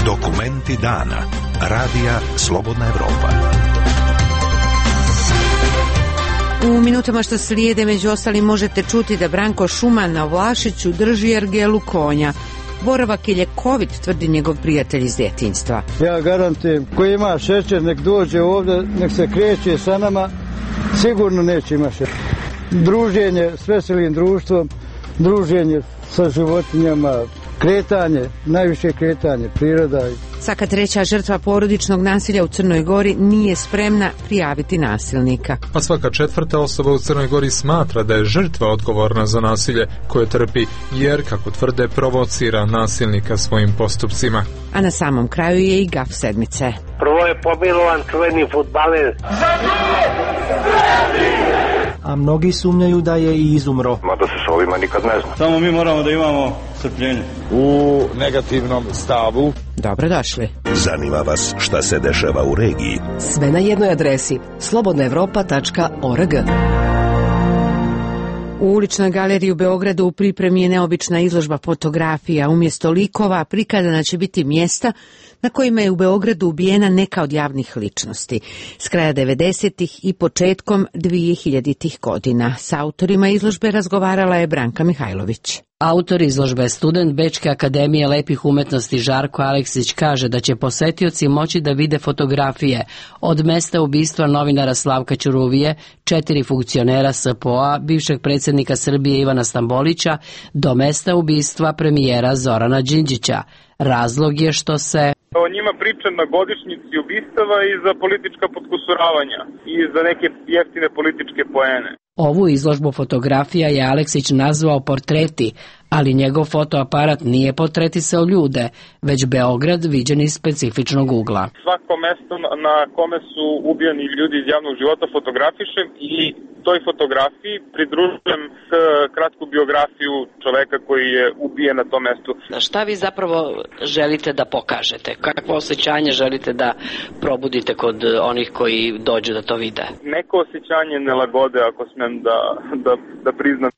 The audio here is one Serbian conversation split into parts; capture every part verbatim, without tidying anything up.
Dokumenti dana. Radija Slobodna Evropa. U minutama što slijede među ostalim možete čuti da Branko Šuman na Vlašiću drži ergelu konja. Boravak je ljekovit, tvrdi njegov prijatelj iz djetinjstva. Ja garantujem, ko ima šećer nek dođe ovdje, nek se kreće sa nama, sigurno neće ima šećer. Druženje s veselim društvom, druženje sa životinjama, kretanje, najviše kretanje, priroda. Svaka treća žrtva porodičnog nasilja u Crnoj Gori nije spremna prijaviti nasilnika. A svaka četvrta osoba u Crnoj Gori smatra da je žrtva odgovorna za nasilje koje trpi, jer, kako tvrde, provocira nasilnika svojim postupcima. A na samom kraju je i gaf sedmice. Prvo je pomilovan čuveni fudbaler. A mnogi sumnjaju da je i izumro. Mada se s ovima nikad ne zna. Samo mi moramo da imamo strpljenje. U negativnom stavu. Dobrodošli. Zanima vas šta se dešava u regiji? Sve na jednoj adresi slobodna evropa tačka org. U uličnoj galeriji u Beogradu u pripremi je neobična izložba fotografija. Umjesto likova prikazana će biti mjesta na kojima je u Beogradu ubijena neka od javnih ličnosti. S kraja devedesetih i početkom dvijehiljaditih godina. S autorima izložbe razgovarala je Branka Mihajlović. Autor izložbe, student Bečke akademije lepih umetnosti Žarko Aleksić, kaže da će posetioci moći da vide fotografije od mesta ubistva novinara Slavka Ćuruvije, četiri funkcionera S P O-a, bivšeg predsjednika Srbije Ivana Stambolića, do mesta ubistva premijera Zorana Đinđića. Razlog je što se o njima priča na godišnjici ubistava i za politička potkusuravanja i za neke jeftine političke poene. Ovu izložbu fotografija je Aleksić nazvao portreti, ali njegov fotoaparat nije portretisao ljude, već Beograd viđen iz specifičnog ugla. Svako mesto na kome su ubijani ljudi iz javnog života fotografišem i toj fotografiji pridružujem kratku biografiju čoveka koji je ubijen na tom mestu. Šta vi zapravo želite da pokažete? Kakvo osjećanje želite da probudite kod onih koji dođu da to vide? Neko osjećanje nelagode, ako smem da, da, da priznam.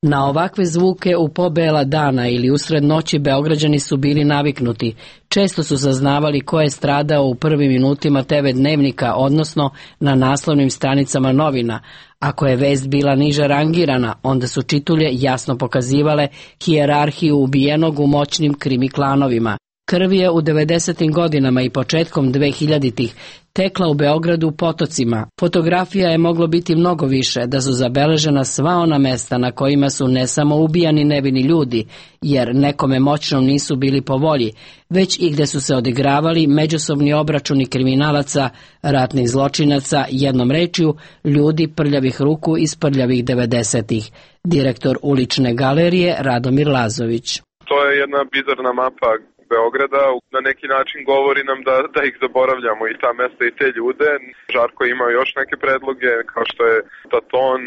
Na ovakve zvuke u pobela dana ili usred noći Beograđani su bili naviknuti. Često su saznavali ko je stradao u prvim minutima te ve dnevnika, odnosno na naslovnim stranicama novina. Ako je vest bila niže rangirana, onda su čitulje jasno pokazivale hijerarhiju ubijenog u moćnim krimi klanovima. Krv je u devedesetim godinama i početkom dvehiljaditih tekla u Beogradu potocima. Fotografija je moglo biti mnogo više da su zabeležena sva ona mesta na kojima su ne samo ubijani nevini ljudi, jer nekome moćnom nisu bili po volji, već i gde su se odigravali međusobni obračuni kriminalaca, ratnih zločinaca, jednom rečju, ljudi prljavih ruku iz prljavih devedesetih. Direktor ulične galerije Radomir Lazović. To je jedna bizarna mapa Beograda, na neki način govori nam da, da ih zaboravljamo i ta mesta i te ljude. Žarko ima još neke predloge, kao što je Taton,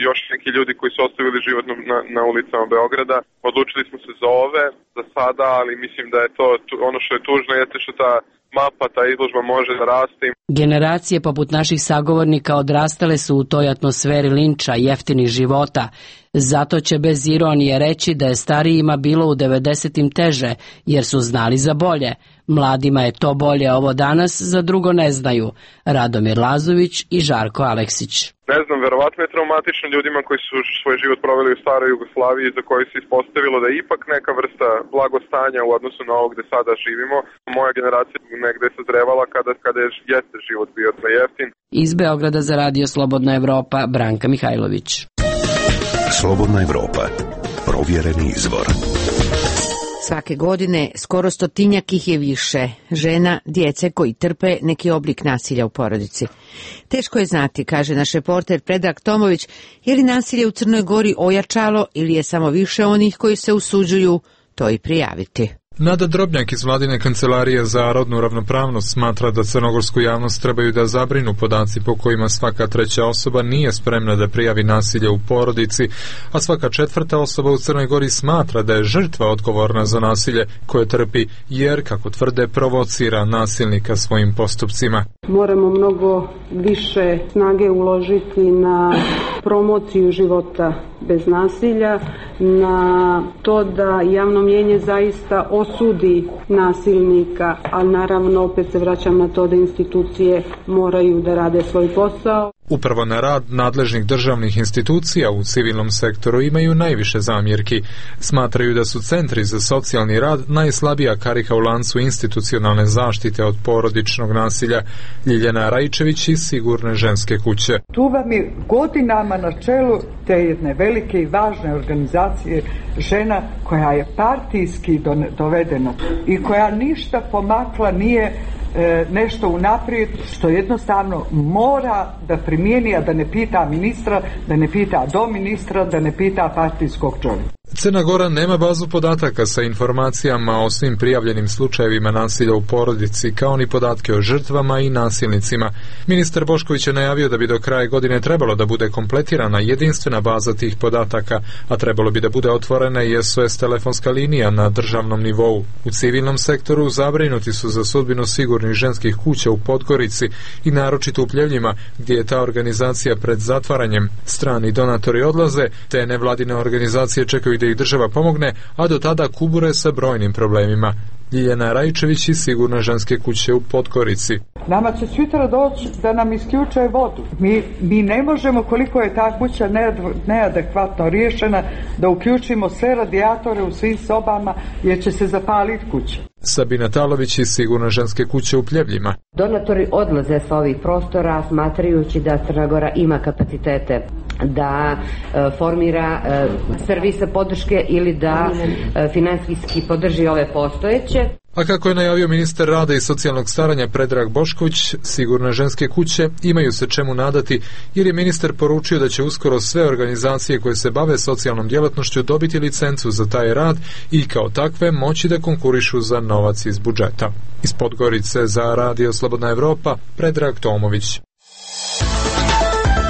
još neki ljudi koji su ostavili život na, na ulicama Beograda. Odlučili smo se za ove, za sada, ali mislim da je to ono što je tužno, jeste što ta mapa, ta izložba može da raste. Generacije poput naših sagovornika odrastale su u toj atmosferi linča, jeftinih života. Zato će bez ironije reći da je starijima bilo u devedesetim teže, jer su znali za bolje. Mladima je to bolje ovo danas, za drugo ne znaju. Radomir Lazović i Žarko Aleksić. Ne znam, verovatno je traumatično ljudima koji su svoj život proveli u staroj Jugoslaviji, za koji se ispostavilo da je ipak neka vrsta blagostanja u odnosu na ovo gde sada živimo. Moja generacija negde je sazrevala kada, kada je jeste život bio jeftin. Iz Beograda za Radio Slobodna Evropa, Branka Mihajlović. Slobodna Evropa, provjereni izvor. Svake godine skoro stotinjak ih je više žena, djece koji trpe neki oblik nasilja u porodici. Teško je znati, kaže naš reporter Predrag Tomović, je li nasilje u Crnoj Gori ojačalo ili je samo više onih koji se usuđuju to i prijaviti. Nada Drobnjak iz Vladine kancelarije za rodnu ravnopravnost smatra da crnogorsku javnost trebaju da zabrinu podaci po kojima svaka treća osoba nije spremna da prijavi nasilje u porodici, a svaka četvrta osoba u Crnoj Gori smatra da je žrtva odgovorna za nasilje koje trpi jer, kako tvrde, provocira nasilnika svojim postupcima. Moramo mnogo više snage uložiti na promociju života bez nasilja, na to da javno mnijenje zaista osudi nasilnika, a naravno opet se vraćam na to da institucije moraju da rade svoj posao. Upravo na rad nadležnih državnih institucija u civilnom sektoru imaju najviše zamjerki. Smatraju da su centri za socijalni rad najslabija karika u lancu institucionalne zaštite od porodičnog nasilja. Ljiljana Rajčević iz Sigurne ženske kuće. Tu vam je godinama na čelu te jedne velike i važne organizacije žena koja je partijski dovedena i koja ništa pomakla nije nešto unaprijed, što jednostavno mora da primijeni, a da ne pita ministra, da ne pita do ministra, da ne pita partijskog čovjeka. Crna Gora nema bazu podataka sa informacijama o svim prijavljenim slučajevima nasilja u porodici, kao ni podatke o žrtvama i nasilnicima. Ministar Bošković je najavio da bi do kraja godine trebalo da bude kompletirana jedinstvena baza tih podataka, a trebalo bi da bude otvorena i S O S telefonska linija na državnom nivou. U civilnom sektoru zabrinuti su za sudbinu sigurnih ženskih kuća u Podgorici i naročito u Pljevljima, gdje je ta organizacija pred zatvaranjem. Strani donatori odlaze, te nevladine organizacije čekaju da ih država pomogne, a do tada kubure sa brojnim problemima. Ljiljana Rajčević iz Sigurne ženske kuće u Podgorici. Nama će sutra doći da nam isključe vodu. Mi, mi ne možemo, koliko je ta kuća neadekvatno riješena, da uključimo sve radijatore u svim sobama jer će se zapaliti kuća. Sabina Talović iz Sigurne ženske kuće u Pljevljima. Donatori odlaze sa ovih prostora smatrajući da Crna Gora ima kapacitete da e, formira e, servise podrške ili da e, finansijski podrži ove postojeće. A kako je najavio ministar rada i socijalnog staranja Predrag Bošković, Sigurne ženske kuće imaju se čemu nadati, jer je ministar poručio da će uskoro sve organizacije koje se bave socijalnom djelatnošću dobiti licencu za taj rad i kao takve moći da konkurišu za novac iz budžeta. Iz Podgorice za Radio Slobodna Evropa, Predrag Tomović.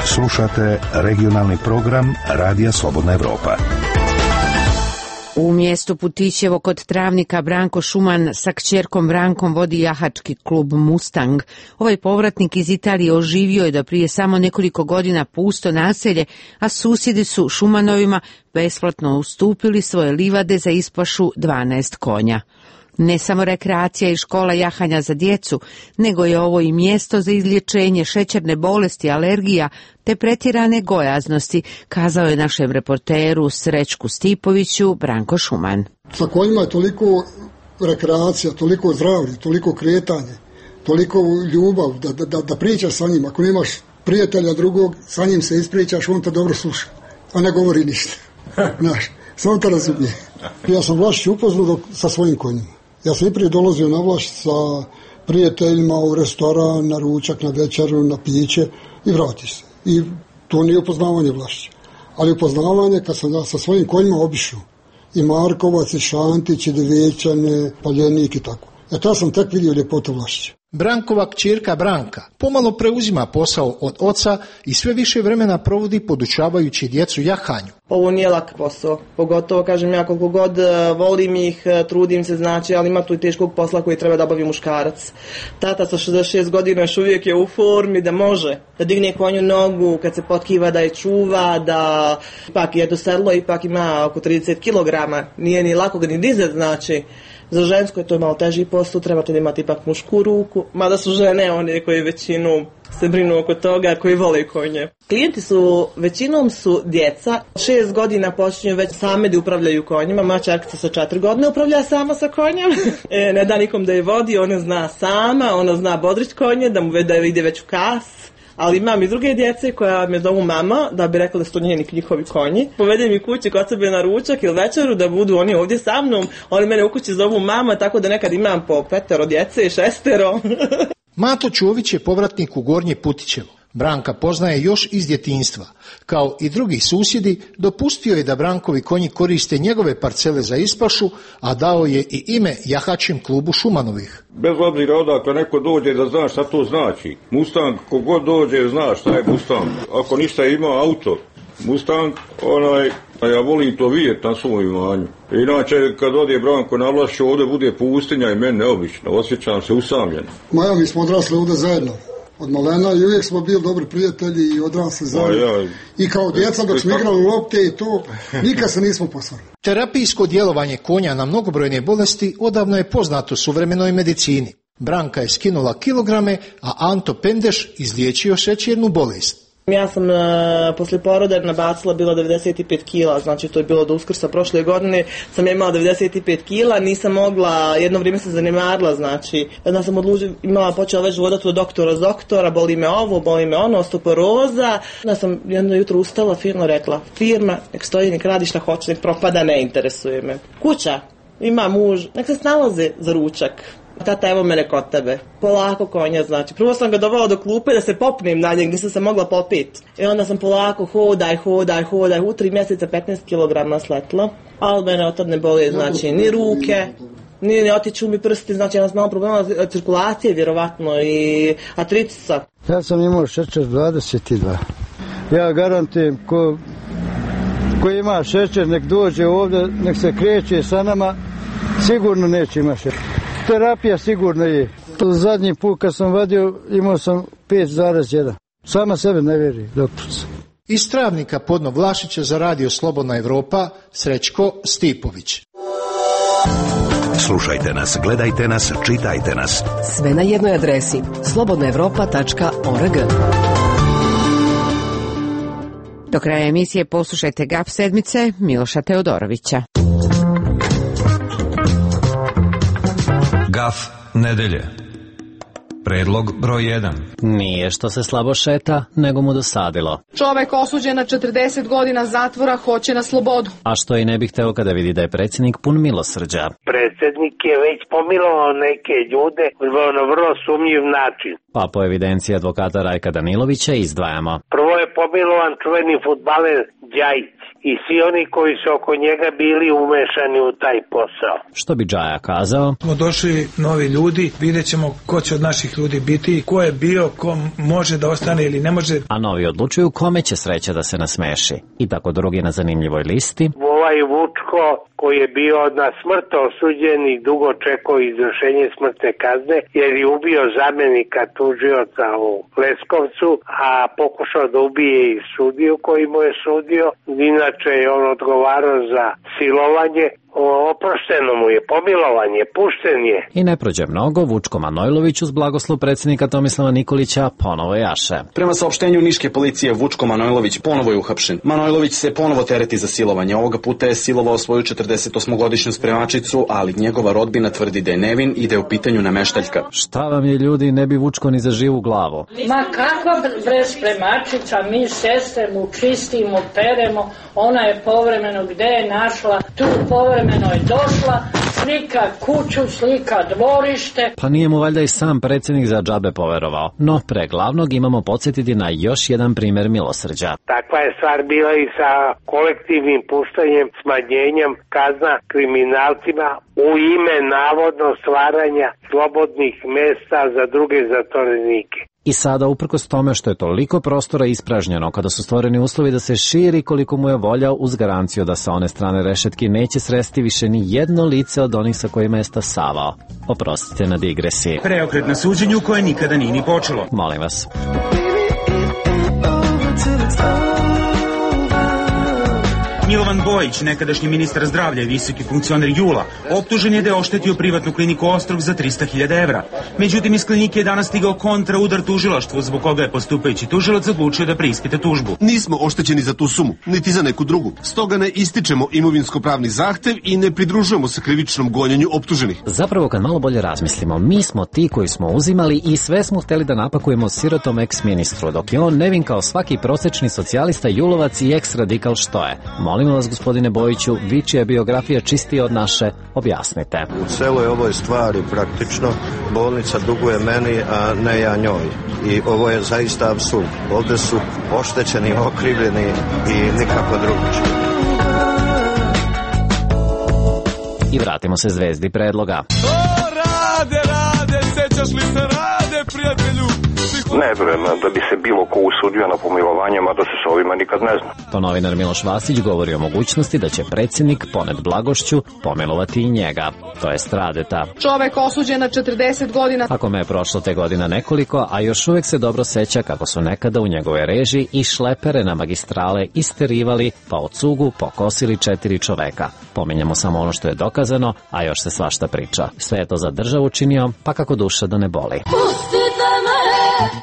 Slušate regionalni program Radija Slobodna Evropa. U mjestu Putićevo kod Travnika Branko Šuman sa kćerkom Brankom vodi jahački klub Mustang. Ovaj povratnik iz Italije oživio je da prije samo nekoliko godina pusto naselje, a susjedi su Šumanovima besplatno ustupili svoje livade za ispašu dvanaest konja. Ne samo rekreacija i škola jahanja za djecu, nego je ovo i mjesto za izlječenje šećerne bolesti, alergija te pretjerane gojaznosti, kazao je našem reporteru Srećku Stipoviću Branko Šuman. Sa konjima je toliko rekreacija, toliko zdravlje, toliko kretanje, toliko ljubav da, da, da pričaš sa njim. Ako nemaš prijatelja drugog, sa njim se ispričaš, on te dobro sluša, a ne govori ništa. Znaš, samo te razumije. Ja sam Vlašić upoznao sa svojim konjima. Ja sam i prije dolazio na Vlašić sa prijateljima u restoran, na ručak, na večeru, na piće i vratiš se. I to nije upoznavanje Vlašića. Ali upoznavanje kad sam sa svojim konjima obišao. I Markovac, i Šantić, i Devečane, Paljenik i tako. E to sam tek vidio ljepotu Vlašića. Brankova kćerka Branka pomalo preuzima posao od oca i sve više vremena provodi podučavajući djecu jahanju. Ovo nije lak posao, pogotovo kažem ja koliko god volim ih, trudim se znači, ali ima tu i teškog posla koji treba da obavi muškarac. Tata sa šezdeset šest godina još uvijek je u formi da može, da digne konju nogu, kad se potkiva da je čuva, da ipak je do sedlo, ipak ima oko trideset kilograma, nije ni lako ga ni dizet znači. Za žensko je to malo teži posao, trebate da imate ipak mušku ruku, mada su žene one koje većinu se brinu oko toga, koji vole konje. Klijenti su, većinom su djeca, šest godina počinju već same da upravljaju konjima, moja čerkica sa četiri godine upravlja sama sa konjem, e, ne da nikom da je vodi, ona zna sama, ona zna bodrić konje, da mu da ide već u kas. Ali imam i druge djece koja me zovu mama, da bi rekla da su to njeni njihovi konji. Povedem i kući kod sebe na ručak ili večeru da budu oni ovdje sa mnom. Oni mene u kući zovu mama, tako da nekad imam po petero djece i šestero. Mato Čović je povratnik u Gornje Putićevo. Branka poznaje još iz djetinjstva. Kao i drugi susjedi, dopustio je da Brankovi konji koriste njegove parcele za ispašu, a dao je i ime jahačim klubu Šumanovih. Bez obzira odakle neko dođe da zna šta to znači. Mustang, kogod dođe zna šta je Mustang. Ako ništa ima auto, Mustang, onaj, a ja volim to vidjeti na svom imanju. Inače, kad odje Branko na Vlašću, ovdje bude pustinja i meni neobično, osjećam se usamljen. Maja, mi smo odrasli ovdje zajedno. Od malena i uvijek smo bili dobri prijatelji i odrasli zajedno. Ja, I kao djeca dok smo igrali lopte i to, nikad se nismo posvarili. Terapijsko djelovanje konja na mnogobrojne bolesti odavno je poznato suvremenoj medicini. Branka je skinula kilograme, a Anto Pendeš izliječio šećernu bolest. Ja sam uh, poslije poroda nabacila bila devedeset pet kila, znači to je bilo do Uskrsa prošle godine, sam ja imala devedeset pet kila, nisam mogla, jedno vrijeme se zanemarila, znači, jedna sam odlučila, imala, počela već vodati od doktora s doktora, boli me ovo, boli me ono, osteoporoza, onda sam jedno jutro ustala, firma rekla, firma, nek stoji, nek radi šta hoće, nek propada, ne interesuje me. Kuća, ima muž, nek se snalaze za ručak. Tata, evo mene kod tebe. Polako konja, znači. Prvo sam ga dovela do klupe da se popnem na njeg, nisam se mogla popiti. I onda sam polako hodaj, hodaj, hodaj. U tri mjeseca petnaest kilograma sletla. Ali mene od tad ne boli, znači, ni ruke, ni ne otiču mi prsti, znači ja sam malo problema cirkulacije, vjerovatno, i artritisa. Ja sam imao šećer dvadeset dva. Ja garantujem, ko, ko ima šećer, nek dođe ovdje, nek se kreće sa nama, sigurno neće ima šećer. Terapija sigurno je. Zadnji put kad sam vadio imao sam pet zarez jedan. Sama sebe ne vjeri, doktorica. Iz Travnika Podno Vlašića za radio Slobodna Evropa, Srećko Stipović. Slušajte nas, gledajte nas, čitajte nas. Sve na jednoj adresi slobodna evropa tačka org. Do kraja emisije poslušajte Gaf sedmice Miloša Teodorovića. Gaf nedelje. Predlog broj jedan. Nije što se slabo šeta, nego mu dosadilo. Čovek osuđen na četrdeset godina zatvora hoće na slobodu. A što i ne bih hteo kada vidi da je predsjednik pun milosrđa. Predsjednik je već pomilovao neke ljude na vrlo sumnjiv način. Pa po evidenciji advokata Rajka Danilovića izdvajamo. Prvo je pomilovan čuveni fudbaler Đajić i svi oni koji su oko njega bili umešani u taj posao. Što bi Džaja kazao? Smo došli novi ljudi, vidjet ćemo ko će od naših ljudi biti, ko je bio, ko može da ostane ili ne može. A novi odlučuju kome će sreća da se nasmeši. I tako drugi na zanimljivoj listi. Ovaj Vučko koji je bio na smrt osuđen i dugo čekao izvršenje smrtne kazne jer je ubio zamjenika tužioca u Leskovcu, a pokušao da ubije i sudiju koji mu je sudio. Inače je on odgovarao za silovanje. Oprošteno mu je, pomilovan je, pušten je. I ne prođe mnogo, Vučko Manojlović uz blagoslov predsjednika Tomislava Nikolića ponovo jaše. Prema saopštenju niške policije, Vučko Manojlović ponovo je uhapšen. Manojlović se ponovo tereti za silovanje. Ovoga puta je silovao svoju četrdesetosmogodišnju spremačicu, ali njegova rodbina tvrdi da je nevin i da je u pitanju nameštaljka. Šta vam je, ljudi, ne bi Vučko ni za živu glavu. Ma kakva bre spremačica, mi sestre mu čistimo, peremo, ona je povremeno gde je našla, tu povremeno je došla, slika kuću, slika dvorište. Pa nije mu valjda i sam predsjednik za džabe poverovao. No, pre glavnog imamo podsjetiti na još jedan primjer milosrđa. Takva je stvar bila i sa kolektivnim puštanjem, smanjenjem kazna kriminalcima u ime navodno stvaranja slobodnih mesta za druge zatvorenike. I sada, uprkos tome što je toliko prostora ispražnjeno, kada su stvoreni uslovi da se širi koliko mu je volja, uz garanciju da sa one strane rešetki neće sresti više ni jedno lice od onih sa kojima je stasavao. Oprostite na digresiji. Preokret na suđenju koje nikada nije ni počelo. Molim vas. Milovan Bojić, nekadašnji ministar zdravlja i visoki funkcioner Jula, optužen je da je oštetio privatnu kliniku Ostrog za trista hiljada evra. Međutim, iz klinike je danas stigao kontra udar tužilaštvu, zbog koga je postupajući tužilac odlučio da preispita tužbu. Nismo oštećeni za tu sumu, niti za neku drugu. Stoga ne ističemo imovinsko-pravni zahtev i ne pridružujemo se krivičnom gonjenju optuženih. Zapravo, kad malo bolje razmislimo, mi smo ti koji smo uzimali i sve smo hteli da napakujemo sirotom eks-ministru, dok je on nevin kao svaki prosečni socijalista, julovac i eks-radikal što je. Molimo vas, gospodine Bojiću, vi čija je biografija čistija od naše, objasnite. U celoj ovoj stvari praktično bolnica duguje meni, a ne ja njoj. I ovo je zaista apsurd. Ovdje su oštećeni, okrivljeni i nikako drugačije. I vratimo se zvezdi predloga. O, Rade, Rade, sećaš li se Rade, prijatelju? Ne vjerujem da bi se bilo ko usudio na pomilovanje, mada se s ovima nikad ne zna. To novinar Miloš Vasić govori o mogućnosti da će predsjednik ponet blagošću pomilovati i njega, to jest Radeta. Čovek osuđen na četrdeset godina. Ako me je prošlo te godina nekoliko, a još uvijek se dobro seća kako su nekada u njegove režiji i šlepere na magistrale isterivali, pa od cugu pokosili četiri čoveka. Pominjamo samo ono što je dokazano, a još se svašta priča. Sve je to za državu činio, pa kako duša da ne boli.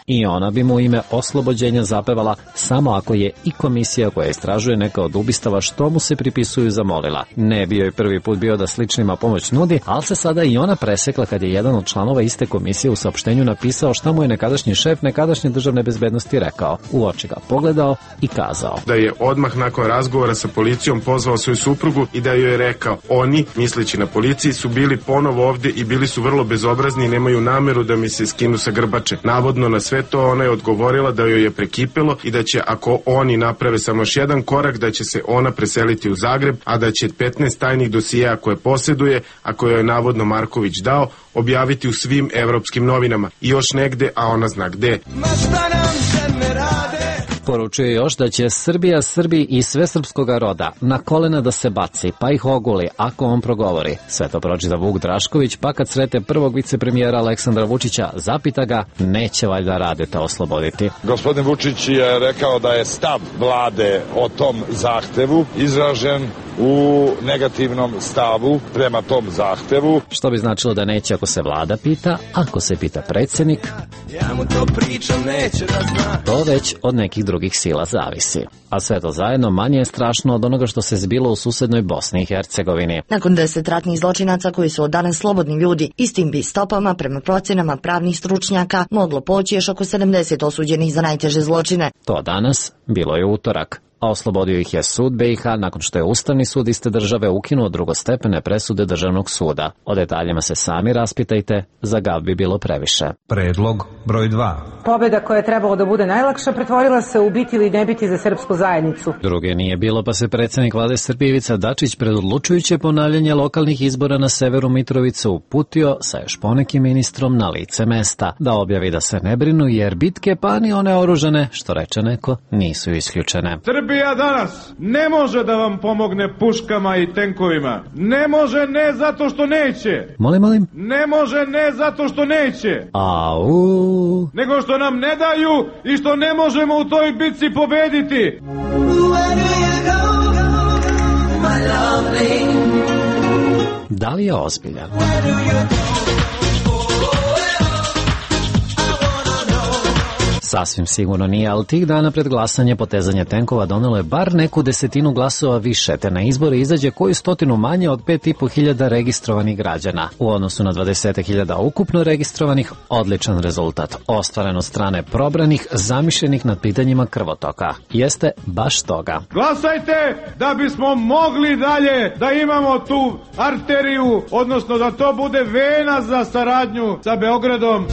I ona bi mu ime oslobođenja zapevala samo ako je i komisija koja istražuje neka od ubistava što mu se pripisuju zamolila. Ne bi joj prvi put bio da sličnima pomoć nudi, ali se sada i ona presekla kad je jedan od članova iste komisije u saopštenju napisao šta mu je nekadašnji šef nekadašnje državne bezbednosti rekao. U oči ga pogledao i kazao da je odmah nakon razgovora sa policijom pozvao svoju suprugu i da joj je rekao: oni, misleći na policiji, su bili ponovo ovdje i bili su vrlo bezobrazni i nemaju nameru da mi se skinu sa grbače. Navodno na sve to ona je odgovorila da joj je prekipelo i da će, ako oni naprave samo još jedan korak, da će se ona preseliti u Zagreb, a da će petnaest tajnih dosijeja koje posjeduje, a koje je navodno Marković dao, objaviti u svim evropskim novinama. I još negde, a ona zna gde. Poručuje još da će Srbija Srbiji i sve srpskoga roda na kolena da se baci, pa ih oguli ako on progovori. Sve to pročita Vuk Drašković, pa kad srete prvog vicepremijera Aleksandra Vučića, zapita ga, neće valjda Radeta osloboditi. Gospodin Vučić je rekao da je stav vlade o tom zahtevu izražen u negativnom stavu prema tom zahtevu. Što bi značilo da neće ako se vlada pita, ako se pita predsjednik, ja mu to pričam, neće da zna. To već od nekih drugih sila zavisi. A sve to zajedno manje je strašno od onoga što se zbilo u susednoj Bosni i Hercegovini. Nakon deset ratnih zločinaca koji su od danas slobodni ljudi, istim bi stopama, prema procjenama pravnih stručnjaka, moglo poći još oko sedamdeset osuđenih za najteže zločine. To danas bilo je utorak, a oslobodio ih je sud B i H nakon što je Ustavni sud iste države ukinuo drugostepene presude Državnog suda. O detaljima se sami raspitajte, za gav bi bilo previše. Predlog broj dva. Pobjeda koja je trebalo da bude najlakša pretvorila se u biti ili ne biti za srpsku zajednicu. Druge nije bilo, pa se predsjednik vlade Srbije Ivica Dačić pred odlučujuće ponavljanje lokalnih izbora na severu Mitrovice uputio sa još ponekim ministrom na lice mesta da objavi da se ne brinu jer bitke pa ni one oružane, što reče neko, nisu isključene. Srbija danas ne može da vam pomogne puškama i tenkovima. Ne može ne zato što neće. Molim, molim? Ne može ne zato što neće. Au. Nego što nam ne daju i što ne možemo u toj bitci pobediti. Da li je ozbiljan? Sasvim sigurno nije, ali tih dana pred glasanje potezanje tenkova donelo je bar neku desetinu glasova više, te na izbore izađe koju stotinu manje od pet i po hiljada registrovanih građana. U odnosu na dvadeset hiljada ukupno registrovanih, odličan rezultat, ostvaren od strane probranih, zamišljenih nad pitanjima krvotoka. Jeste baš toga. Glasajte da bismo mogli dalje da imamo tu arteriju, odnosno da to bude vena za saradnju sa Beogradom.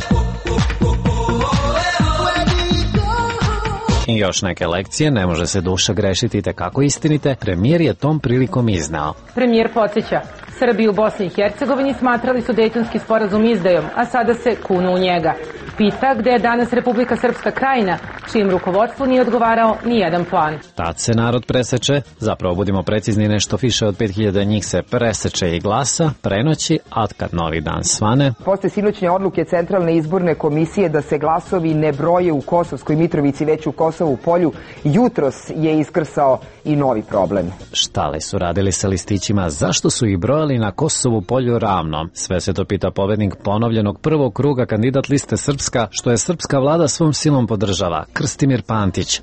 I još neke lekcije, ne može se duša grešiti te kako istinite, premijer je tom prilikom iznao. Premijer podsjeća, Srbi u Bosni i Hercegovini smatrali su Dejtonski sporazum izdajom, a sada se kunu u njega. Pita gde je danas Republika Srpska Krajina, čijem rukovodstvu nije odgovarao ni jedan plan. Tad se narod preseče, zapravo budimo precizni, nešto više od pet hiljada njih se preseče i glasa, prenoći, a kad novi dan svane. Posle sinoćnje odluke Centralne izborne komisije da se glasovi ne broje u Kosovskoj Mitrovici, već u Kosovu Polju, jutros je iskrsao i novi problem. Šta li su radili sa listićima, zašto su ih brojali na Kosovu Polju ravno? Sve se to pita pobednik ponovljenog prvog kruga, kandidat liste Srpska, što je srpska vlada svom silom podržava, Krstimir Pantić.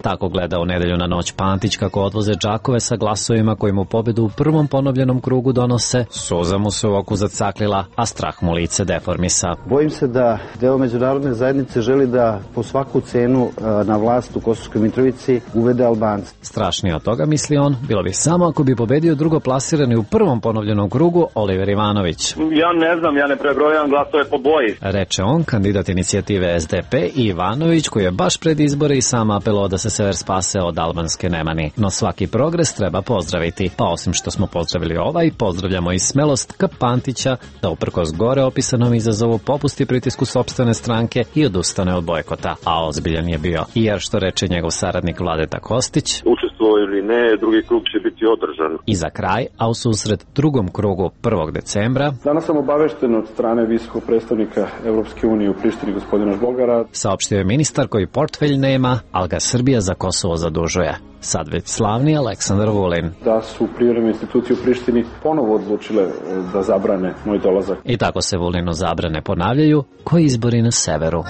Tako gleda u nedelju na noć Pantić kako odvoze džakove sa glasovima koji mu pobedu u prvom ponovljenom krugu donose. Suza mu se u oku zacaklila, a strah mu lice deformisa. Bojim se da deo međunarodne zajednice želi da po svaku cenu na vlast u Kosovskoj Mitrovici uvede Albance. Strašnije od toga, misli on, bilo bi samo ako bi pobedio drugo plasirani u prvom ponovljenom krugu Oliver Ivanović. Ja ne znam, ja ne prebrojam glasove po boji. Reče on, kandidat inicijative S D P, i Ivanović, koji je baš pred izbore i sam apelao da se sever spase od albanske nemani. No svaki progres treba pozdraviti. Pa osim što smo pozdravili ovaj, pozdravljamo i smelost K. Pantića da uprkos gore opisanom izazovu popusti pritisku sopstvene stranke i odustane od bojkota. A ozbiljan je bio. I jer što reče njegov saradnik Vladeta Kostić, učestvovao ili ne, drugi krug će biti održan. I za kraj, a u susret drugom krugu prvog decembra, danas sam obavešten od strane visokog predstavnika Evropske unije u Prištini gospodina Žbogara, saopštio je ministar koji portfelj nema, ali ga Srbija za Kosovo zadužuje. Sad već slavni Aleksandar Vulin. Da su privremene institucije u Prištini ponovo odlučile da zabrane moj dolazak. I tako se Vulinu zabrane ponavljaju koji izbori na severu.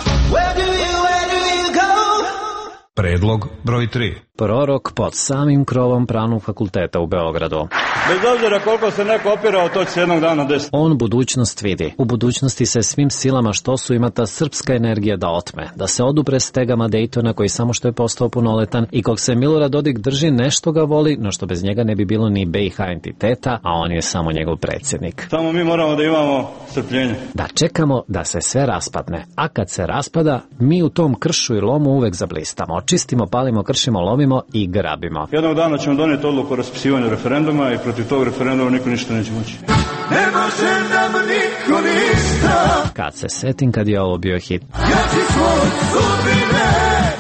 Predlog broj tri. Prorok pod samim krovom Pravnog fakulteta u Beogradu. Bez obzira koliko se neko opirao, to će se jednog dana desiti. On budućnost vidi. U budućnosti se svim silama što su ima ta srpska energija da otme, da se odupre stegama Dejtona koji samo što je postao punoletan i kog se Milorad Dodik drži, nešto ga voli, no što bez njega ne bi bilo ni B i H entiteta, a on je samo njegov predsjednik. Samo mi moramo da imamo strpljenje. Da čekamo da se sve raspadne, a kad se raspada, mi u tom kršu i lomu uvek zablistamo. Očistimo, palimo, kršimo, lomimo i grabimo. Jednog dana ćemo donijeti odluku o raspisivanju referenduma i protiv tog referenduma niko ništa neće moći. Ne može nam niko ništa. Kad se setim kad je ovo bio hit. Ja ti svoj sudbine.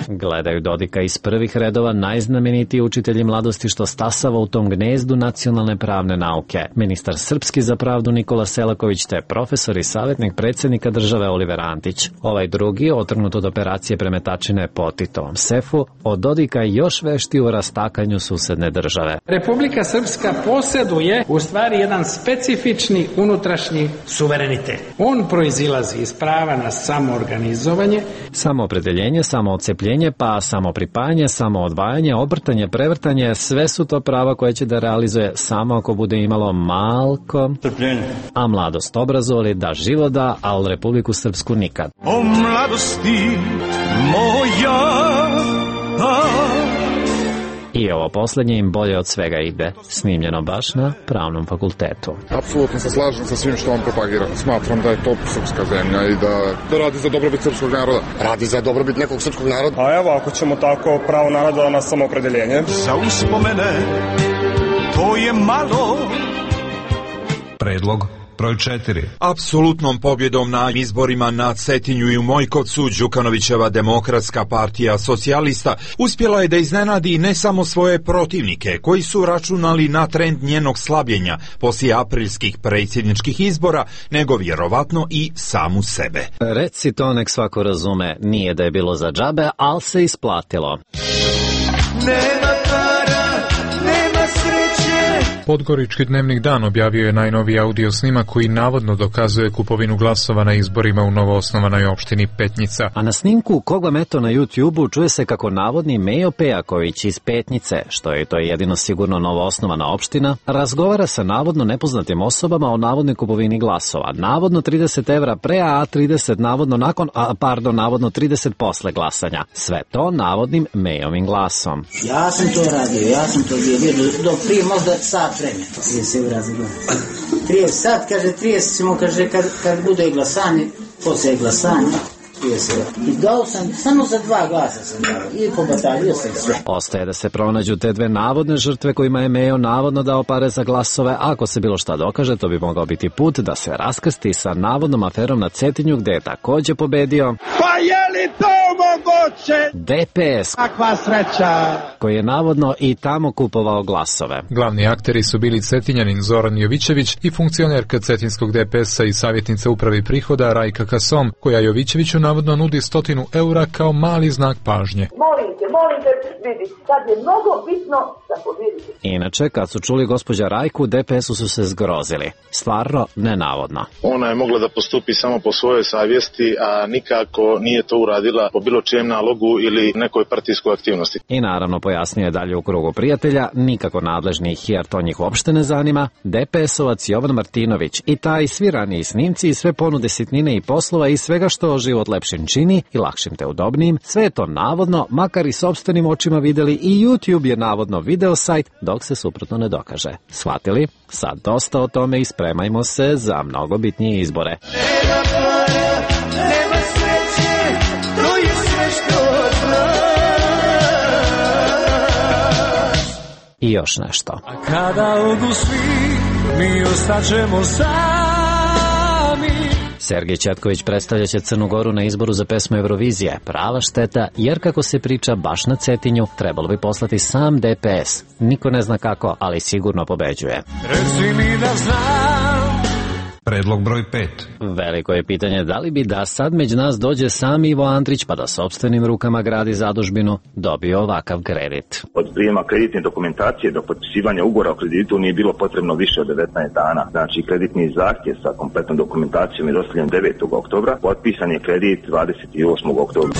Gledaju Dodika iz prvih redova najznamenitiji učitelji mladosti što stasava u tom gnezdu nacionalne pravne nauke. Ministar srpski za pravdu Nikola Selaković te profesor i savjetnik predsjednika države Oliver Antić. Ovaj drugi, otrgnut od operacije premetačine po Titovom sefu, od Dodika još vešti u rastakanju susedne države. Republika Srpska posjeduje u stvari jedan specifični unutrašnji suverenitet. On proizilazi iz prava na samoorganizovanje, samoopredeljenje, samoodcepljenje, pa samo pripajanje, samo odvajanje, obrtanje, prevrtanje, sve su to prava koje će da realizuje samo ako bude imalo malko trpljenje. A mladost obrazovali da život da, ali Republiku Srpsku nikad. O mladosti moja, a... I ovo posljednje im bolje od svega ide, snimljeno baš na Pravnom fakultetu. Apsolutno se slažem sa svim što on propagira. Smatram da je to srpska zemlja i da, da radi za dobrobit srpskog naroda. Radi za dobrobit nekog srpskog naroda. A evo, ako ćemo tako pravo naroda na samoopredeljenje. Za uspomene, to je malo. Predlog broj četiri. Apsolutnom pobjedom na izborima na Cetinju i u Mojkovcu Đukanovićeva demokratska partija socijalista uspjela je da iznenadi ne samo svoje protivnike koji su računali na trend njenog slabljenja poslije aprilskih predsjedničkih izbora, nego vjerovatno i samu sebe. Reci to nek svako razume, nije da je bilo za džabe, ali se isplatilo. Nema para, nema sreće. Podgorički dnevnik Dan objavio je najnoviji audio snimak koji navodno dokazuje kupovinu glasova na izborima u novoosnovanoj opštini Petnica. A na snimku koga meto na YouTube-u čuje se kako navodni Mejo Pejaković iz Petnice, što je to jedino sigurno novoosnovana opština, razgovara sa navodno nepoznatim osobama o navodnoj kupovini glasova. Navodno trideset evra pre, a trideset navodno nakon, a pardon, navodno trideset posle glasanja. Sve to navodnim Mejovim glasom. Ja sam to radio, ja sam to bio do, do prije možda sat vremena. trideset evra za glas. trideset sat, kaže, trideset ćemo, kaže, kad, kad bude glasanje, posle glasanja, trideset evra. I dao sam, samo za dva glasa sam dao, i pobatalio sam sve. Ostaje da se pronađu te dve navodne žrtve kojima je Mejo navodno dao pare za glasove. Ako se bilo šta dokaže, to bi mogao biti put da se raskrsti sa navodnom aferom na Cetinju, gde je takođe pobedio... Pa je li to moguće? D P S, kakva sreća, koji je navodno i tamo kupovao glasove. Glavni akteri su bili Cetinjanin Zoran Jovićević i funkcionerka Cetinskog D P S-a i savjetnica upravi prihoda Rajka Kasom, koja Jovićeviću navodno nudi stotinu eura kao mali znak pažnje. Molim te, molim te, vidi, sad je mnogo bitno da pobjedite. Inače, kad su čuli gospođa Rajku, D P S-u su se zgrozili. Stvarno, nenavodno. Ona je mogla da postupi samo po svojoj savjesti, a nikako nije to uradila po bilo čijem nalogu dijalogu ili nekoj partijskoj aktivnosti. I naravno pojasnio je dalje u krugu prijatelja, nikako nadležnih jer to njih uopšte ne zanima, D P S-ovac Jovan Martinović i taj svi raniji snimci i sve ponude sitnine i poslova i svega što život lepšim čini i lakšim te udobnijim, sve je to navodno, makar i sopstvenim očima videli i YouTube je navodno video sajt, dok se suprotno ne dokaže. Shvatili? Sad dosta o tome i spremajmo se za mnogo bitnije izbore. I još nešto. A kada odu svi, mi ostaćemo sami. Sergej Četković predstavljaće Crnu Goru na izboru za pesmu Eurovizije. Prava šteta, jer kako se priča baš na Cetinju, trebalo bi poslati sam D P S. Niko ne zna kako, ali sigurno pobeđuje. Reci mi da znam. Predlog broj pet. Veliko je pitanje da li bi da sad među nas dođe sam Ivo Andrić pa da sopstvenim rukama gradi zadužbinu, dobio ovakav kredit. Od prijema kreditne dokumentacije do potpisivanja ugovora o kreditu nije bilo potrebno više od devetnaest dana. Znači kreditni zahtjev sa kompletnom dokumentacijom je dostavljen devetog oktobra, potpisan je kredit dvadeset osmog oktobra.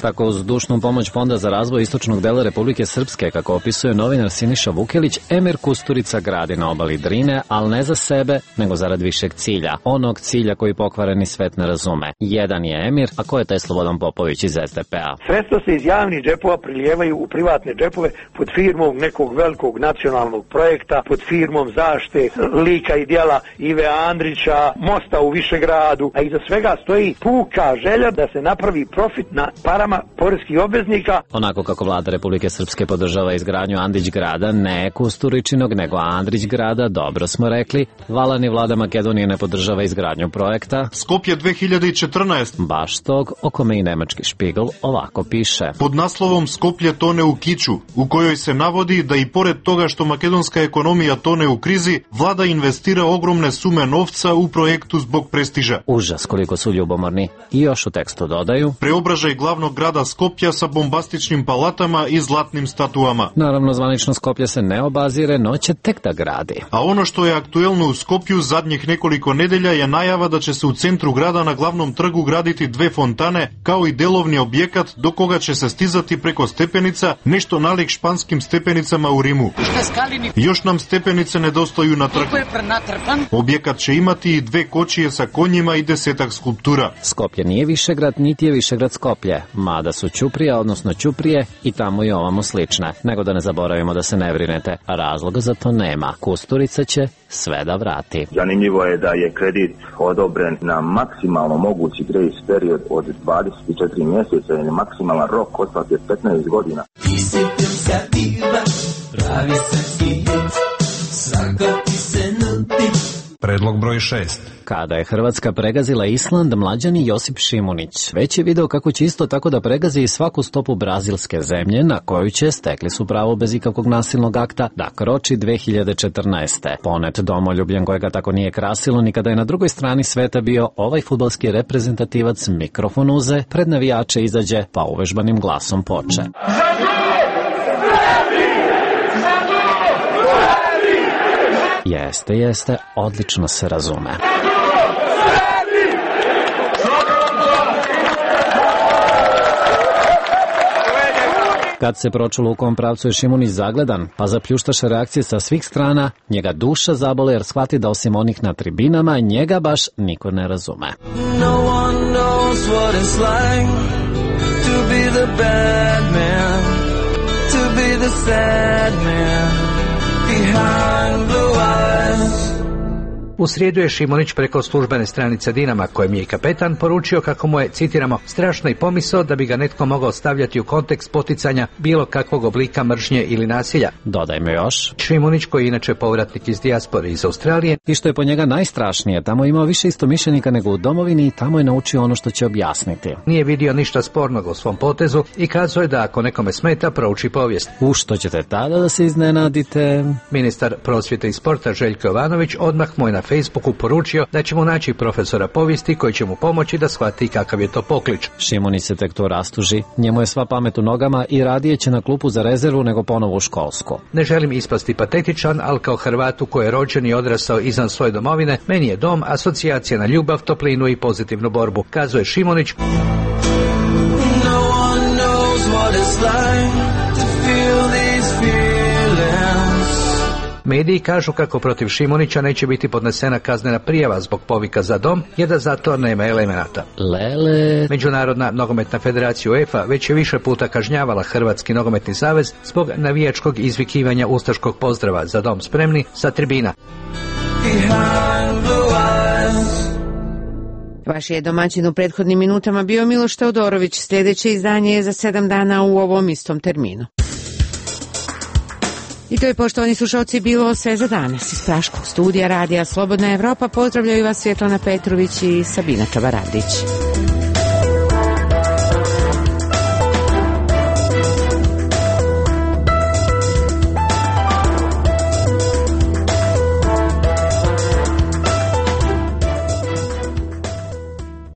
Tako uz dušnu pomoć Fonda za razvoj istočnog dela Republike Srpske, kako opisuje novinar Siniša Vukelić, Emir Kusturica gradi na obali Drine, ali ne za sebe, nego zarad višeg cilja. Onog cilja koji pokvareni svet ne razume. Jedan je Emir, a ko je taj Slobodan Popović iz S D P-a? Sredstva se iz javnih džepova prilijevaju u privatne džepove pod firmom nekog velikog nacionalnog projekta, pod firmom zaštite lika i djela Ive Andrića, mosta u Višegradu, a iza svega stoji puka želja da se napravi profit na parama poreskih obveznika. Onako kako vlada Republike Srpske podržava izgradnju Andić grada, ne Kusturičinog, nego Andrić grada, dobro smo rekli. Vala ni vlada Makedonije ne podržava izgradnju projekta Skopje dve hiljade četrnaest. Baš tog, o kome i nemački Špigl ovako piše. Pod naslovom Skoplje tone u kiču, u kojoj se navodi da i pored toga što makedonska ekonomija tone u krizi, vlada investira ogromne sume novca u projektu zbog prestiža. Užas koliko su ljubomorni. I još u tekstu dodaju: preobražaj glavnog grada Skopja sa bombastičnim palatama i zlatnim statuama. Naravno, zvanično Skoplje se ne obazire, no će tek da gradi. A ono što je aktuelno u Skopju zadnjih nekoliko nedelja je najava da će se u centru grada na glavnom trgu graditi dve fontane, kao i delovni objekat do koga će se stizati preko stepenica, nešto nalik španskim stepenicama u Rimu. Još nam stepenice nedostaju na trgu. Objekat će imati i dve kočije sa konjima i desetak skulptura. Skoplje nije Višegrad, niti je Višegrad Skoplje, mada su Ćuprija, odnosno Ćuprije, i tamo i ovamo slične. Nego da ne zaboravimo da se ne brinete, razloga za to nema. Kusturica će sve da vrati. Zanimljivo je da je kredit odobren na maksimalno mogući grace period od dvadeset četiri mjeseca i maksimalan rok otplate petnaest godina. Predlog broj šest. Kada je Hrvatska pregazila Island, mlađani Josip Šimunić već je video kako će isto tako da pregazi i svaku stopu brazilske zemlje na koju će, stekli su pravo bez ikakvog nasilnog akta, da kroči dve hiljade četrnaeste. Ponet domoljubljen kojega tako nije krasilo ni kada je na drugoj strani sveta bio ovaj fudbalski reprezentativac, mikrofon uze, pred navijače izađe pa uvežbanim glasom poče. Jeste, jeste, odlično se razume. Kad se pročulo u kom pravcu je Šimunić zagledan, pa zapljuštaše reakcije sa svih strana, njega duša zabole jer shvati da osim onih na tribinama, njega baš niko ne razume. No one knows what it's like to be the bad man, to be the sad man behind blue eyes. U srijedu je Šimunić preko službene stranice Dinama, kojem je i kapetan, poručio kako mu je, citiramo, strašno i pomisao da bi ga netko mogao stavljati u kontekst poticanja bilo kakvog oblika mržnje ili nasilja. Dodajmo još. Šimunić, koji je inače povratnik iz dijaspore iz Australije, i što je po njega najstrašnije, tamo je imao više istomišljenika nego u domovini i tamo je naučio ono što će objasniti. Nije vidio ništa spornog u svom potezu i kazao je da ako nekome smeta, prouči povijest. U što ćete tada da se iznenadite? Ministar prosvjete i sporta Željko Jovanović odmah mu je na Facebooku poručio da će mu naći profesora povijesti koji će mu pomoći da shvati kakav je to poklič. Šimunić se tek to rastuži. Njemu je sva pamet u nogama i radije će na klupu za rezervu nego ponovo u školsko. Ne želim ispasti patetičan, ali kao Hrvatu koji je rođen i odrastao izvan svoje domovine, meni je dom asocijacija na ljubav, toplinu i pozitivnu borbu, kazuje Šimunić. Mediji kažu kako protiv Šimunića neće biti podnesena kaznena prijava zbog povika za dom, jer da za to nema elemenata. Lele. Međunarodna nogometna federacija UEFA već je više puta kažnjavala Hrvatski nogometni savez zbog navijačkog izvikivanja ustaškog pozdrava za dom spremni sa tribina. Vaš je domaćin u prethodnim minutama bio Miloš Teodorović. Sljedeće izdanje je za sedam dana u ovom istom terminu. I to je, poštovani slušalci, bilo sve za danas. Iz Praškog studija Radija Slobodna Evropa pozdravljaju vas Svjetlana Petrović i Sabina Čabaradić.